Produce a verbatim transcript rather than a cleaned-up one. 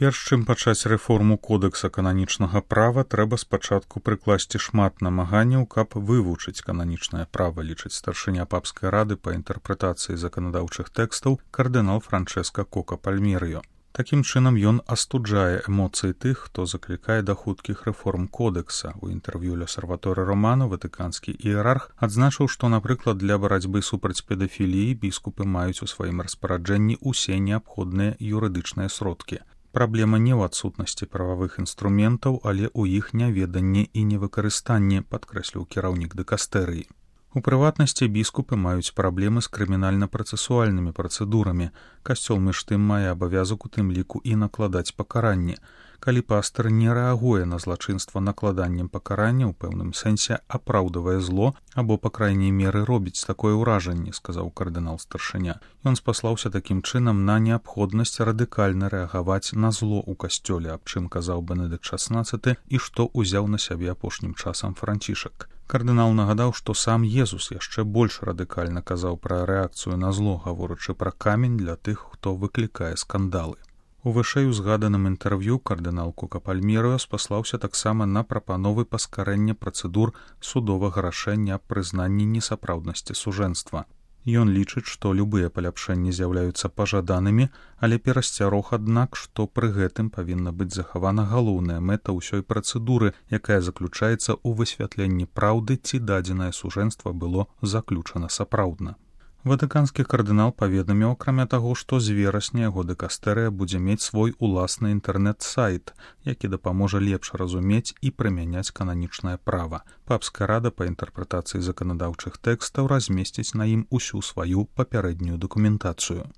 Перш чым пачаць рэформу кодэкса кананічнага права, трэба спачатку прыкласці шмат намаганняў, каб вывучыць кананічнае права, лічыць старшыня папскай рады па інтэрпрэтацыі заканадаўчых тэкстаў кардынал Франчэска Кока Пальмерыё. Такім чынам ён астуджае эмоцыі тых, хто заклікае да хуткіх рэформ кодэкса. У інтэрв'ю L'Osservatore Romano ватыканскі іерарх адзначыў, што, напрыклад, для барацьбы супраць педафіліі біскупы маюць у сваім распараджэнні ўсе неабходныя юрыдычныя сродкі. Праблема не ў адсутнасці прававых інструментаў, але ў іх няведанні і невыкарыстанні, падкрэсліў кіраўнік дыкастэрыі. У прыватнасці біскупы маюць праблемы з крымінальна-працэсуальнымі працэдурамі. Касцёл між тым мае абавязак у тым ліку і накладаць пакаранні. Калі пастар не рэагуе на злачынства накладаннем пакарання, у пэўным сэнсе апраўдвае зло або, па крайняй меры, робіць такое ўражанне, сказаў кардынал-старшыня. Ён спаслаўся такім чынам на неабходнасць радыкальна рэагаваць на зло ў касцёле, аб чым казаў Бенедыкт шаснаццаты і што ўзяў на сябе апошнім часам Францішак. Кардынал нагадаў, што сам Езус яшчэ больш радыкальна казаў пра рэакцыю на зло, гаворачы пра камень для тых, хто выклікае скандалы. У вышэй узгаданым інтэрв'ю кардынал Кока Пальмерыё спаслаўся таксама на прапановы паскарэння працэдур судовага рашэння аб прызнанні несапраўднасці сужэнства. Ён лічыць, што любыя паляпшэнні з'яўляюцца пажаданымі, але перасцярог, аднак, што пры гэтым павінна быць захавана галоўная мэта ўсёй працэдуры, якая заключаецца ў высвятленні праўды, ці дадзенае сужэнства было заключана сапраўдна. Ватыканскі кардынал паведаміў, акрамя таго, што з верасня яго дыкастэрыя будзе мець свой уласны інтэрнэт-сайт, які дапаможа лепш разумець і прымяняць кананічнае права. Папская рада па інтэрпрэтацыі заканадаўчых тэкстаў размесціць на ім усю сваю папярэднюю дакументацыю.